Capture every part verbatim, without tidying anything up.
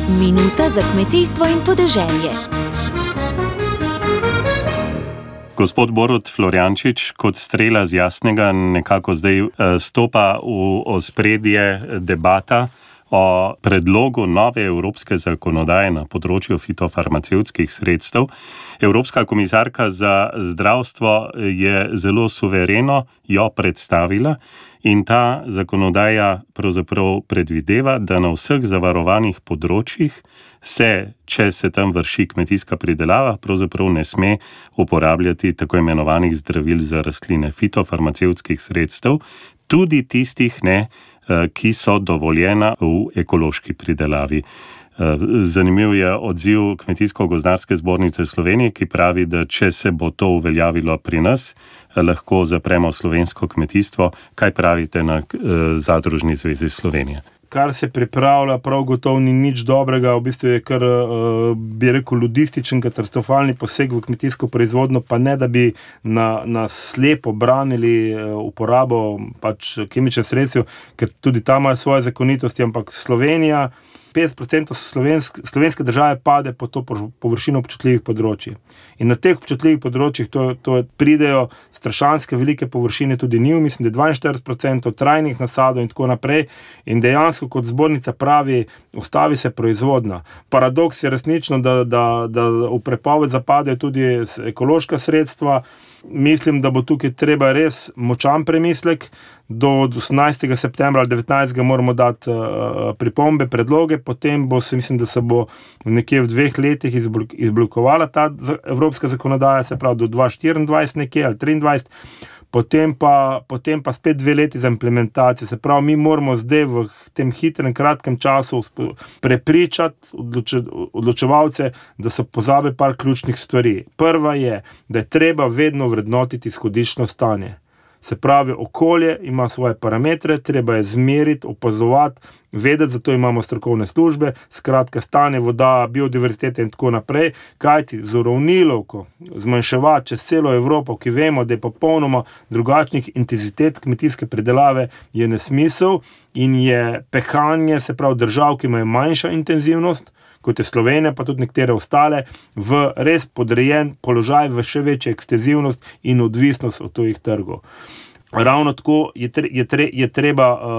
Minuta za kmetijstvo in podeželje. Gospod Borut Florjančič, kot strela z jasnega, nekako zdaj stopa v ospredje debata o predlogu nove evropske zakonodaje na področju fitofarmacevtskih sredstev. Evropska komisarka za zdravstvo je zelo suvereno jo predstavila in ta zakonodaja pravzaprav predvideva, da na vseh zavarovanih področjih se, če se tam vrši kmetijska pridelava, pravzaprav ne sme uporabljati tako imenovanih zdravil za rastline, fitofarmacevtskih sredstev, tudi tistih ne, ki so dovoljena v ekološki pridelavi. Zanimiv je odziv Kmetijsko-gozdarske zbornice Slovenije, ki pravi, da če se bo to uveljavilo pri nas, lahko zapremo slovensko kmetijstvo. Kaj pravite na Zadružni zvezi Slovenije? Kar se pripravlja, prav gotovo ni nič dobrega, v bistvu je kar, bi rekel, ludističen, katastrofalni poseg v kmetijsko proizvodnjo, pa ne, da bi na, na slepo branili uporabo pač kemičnih sredstev, ker tudi tam imajo svoje zakonitosti, ampak Slovenija, petdeset procentov slovenske, slovenske države pade po to površino občutljivih področij. In na teh občutljivih področjih to, to pridejo strašanske velike površine, tudi njiv, mislim, da je dvainštirideset procentov trajnih nasadov in tako naprej. In dejansko, kot zbornica pravi, ustavi se proizvodnja. Paradoks je resnično, da, da, da v prepoved zapadejo tudi ekološka sredstva. Mislim, da bo tukaj treba res močan premislek. Do osemnajstega septembra ali devetnajstega moramo dati uh, pripombe, predloge, potem bo se, mislim, da se bo nekje v dveh letih izblokovala ta evropska zakonodaja, se pravi do dva tisoč štiriindvajset nekje ali triindvajset, potem pa, potem pa spet dve leti za implementacijo. Se pravi, mi moramo zdaj v tem hitrem, kratkem času prepričati odloče, odločevalce, da so pozabili par ključnih stvari. Prva je, da je treba vedno vrednotiti izhodiščno stanje. Se pravi, okolje ima svoje parametre, treba je zmeriti, opazovati, vedeti, zato imamo strokovne službe, skratka stanje voda, biodiverzitete in tako naprej, kajti z uravnilovko zmanjševati čez celo Evropo, ki vemo, da je popolnoma drugačnih intenzitet kmetijske pridelave, je nesmisel in je pehanje, se pravi držav, ki imajo manjša intenzivnost, kot je Slovenija, pa tudi nekatere ostale, v res podrejen položaj, v še večjo ekstenzivnost in odvisnost od tujih trgov. Ravno tako je, tre, je, tre, je treba uh,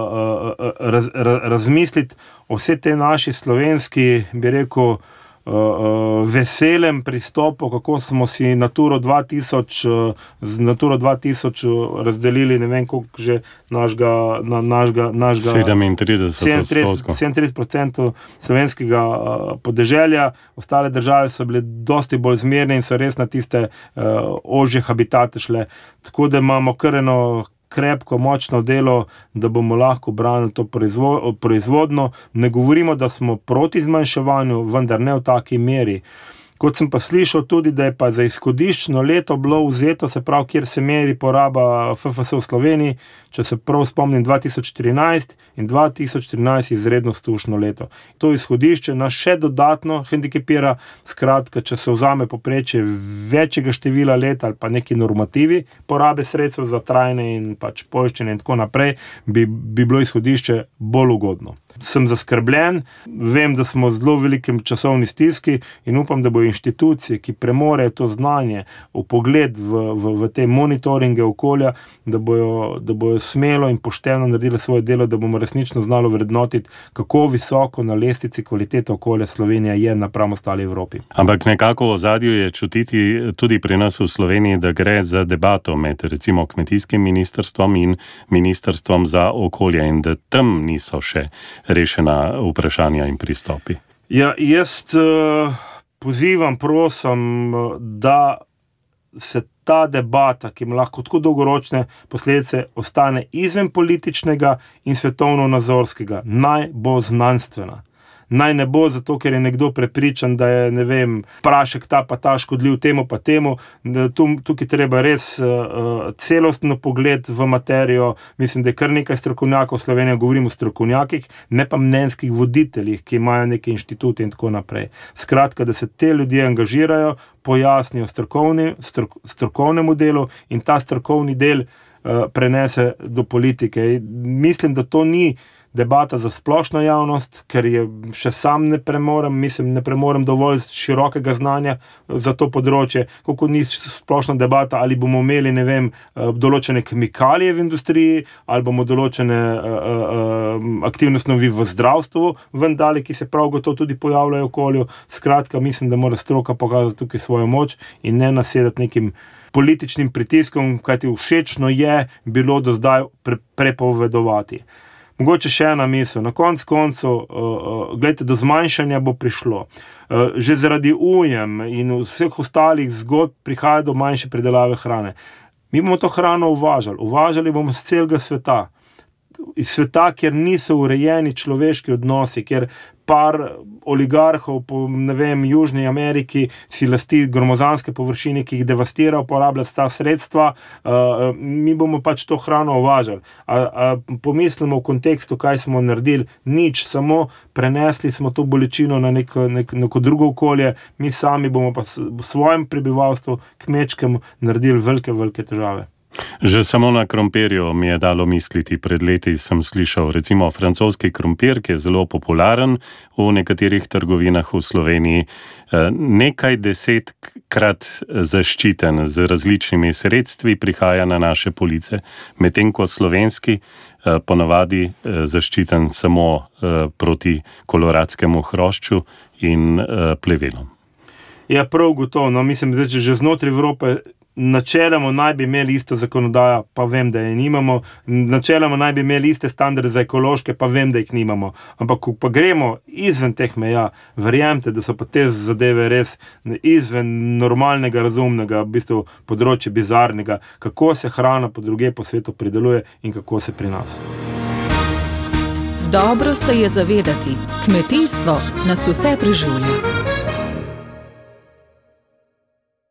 uh, raz, raz, razmisliti o vse te naši slovenski, bi rekel, uh, uh, veselem pristopu, kako smo si Naturo dva tisoč, uh, z Naturo dva tisoč razdelili, ne vem, koliko že našega, na, našega, našega sedemintrideset procentov slovenskega uh, podeželja. Ostale države so bile dosti bolj zmerne in so res na tiste uh, ožje habitate šle. Tako da imamo kar eno krepko, močno delo, da bomo lahko branili to proizvo, proizvodno. Ne govorimo, da smo proti zmanjševanju, vendar ne v taki meri. Kot sem pa slišal tudi, da je pa za izhodiščno leto bilo vzeto, se pravi, kjer se meri poraba F F S v Sloveniji, če se prav spomnim, dva tisoč štirinajst in dva tisoč štirinajst izredno sušno leto. To izhodišče nas še dodatno hendikepira, skratka, če se vzame povprečje večjega števila let ali pa neki normativi porabe sredstev za trajne in pač poiščenje in tako naprej, bi, bi bilo izhodišče bolj ugodno. Sem zaskrbljen, vem, da smo v zelo velikem časovni stiski in upam, da bo inštitucije, ki premorejo to znanje, v pogled v, v, v te monitoringe okolja, da bojo, da bojo smelo in pošteno naredili svoje delo, da bomo resnično znali vrednotiti, kako visoko na lestvici kvalitete okolja Slovenija je napram ostali Evropi. Ampak nekako v ozadju je čutiti tudi pri nas v Sloveniji, da gre za debato med recimo kmetijskim ministrstvom in ministrstvom za okolje in da tam niso še rešena vprašanja in pristopi. Ja, jaz uh, pozivam, prosim, da se ta debata, ki ima lahko tako dolgoročne posledice, ostane izven političnega in svetovno-nazorskega. Naj bo znanstvena. Naj ne bo zato, ker je nekdo prepričan, da je, ne vem, prašek ta pa ta škodljiv temu pa temu. Tukaj treba res uh, celostno pogled v materijo. Mislim, da je kar nekaj strokovnjakov v Sloveniji, govorimo o strokovnjakih, ne pa mnenjskih voditeljih, ki imajo neke inštitute in tako naprej. Skratka, da se te ljudje angažirajo, pojasnijo strokovni, strok, strokovnemu delu in ta strokovni del uh, prenese do politike. Mislim, da to ni debata za splošno javnost, ker je še sam ne premorem, mislim, ne premorem dovolj širokega znanja za to področje, kako ni splošna debata, ali bomo imeli, ne vem, določene kemikalije v industriji, ali bomo določene uh, uh, aktivne snovi v zdravstvu vendali, ki se prav gotovo tudi pojavljajo v okolju. Skratka, mislim, da mora stroka pokazati tukaj svojo moč in ne nasedati nekim političnim pritiskom, kajti všečno je bilo do zdaj pre- prepovedovati. Mogoče še ena misel. Na konc koncu, uh, uh, gledajte, do zmanjšanja bo prišlo. Uh, že zaradi ujem in vseh ostalih zgodb prihaja do manjše pridelave hrane. Mi bomo to hrano uvažali. Uvažali bomo z celega sveta. Iz sveta, kjer niso urejeni človeški odnosi, kjer par oligarhov po, ne vem, Južni Ameriki si lasti gromozanske površine, ki jih devastira, uporablja ta sredstva, uh, mi bomo pač to hrano uvažali. A, a pomislimo v kontekstu, kaj smo naredili, nič, samo prenesli smo to bolečino na neko, nek, neko drugo okolje, mi sami bomo pa svojem prebivalstvu, kmečkemu, naredili velike, velike težave. Že samo na krompirju mi je dalo misliti. Pred leti sem slišal recimo francoski krompir, ki je zelo popularen v nekaterih trgovinah v Sloveniji, nekaj desetkrat zaščiten z različnimi sredstvi prihaja na naše police, medtem ko slovenski ponavadi zaščiten samo proti koloradskemu hrošču in plevelom. Ja, prav gotovo. No, mislim, da že znotraj Evrope načeloma naj bi imeli isto zakonodajo, pa vem, da je nimamo. Načeloma naj bi imeli iste standarde za ekološke, pa vem, da jih nimamo. Ampak, ko pa gremo izven teh meja, verjemite, da so pa te zadeve res izven normalnega, razumnega, v bistvu področje bizarnega, kako se hrana po druge po svetu prideluje in kako se pri nas. Dobro se je zavedati, kmetijstvo nas vse preživlja.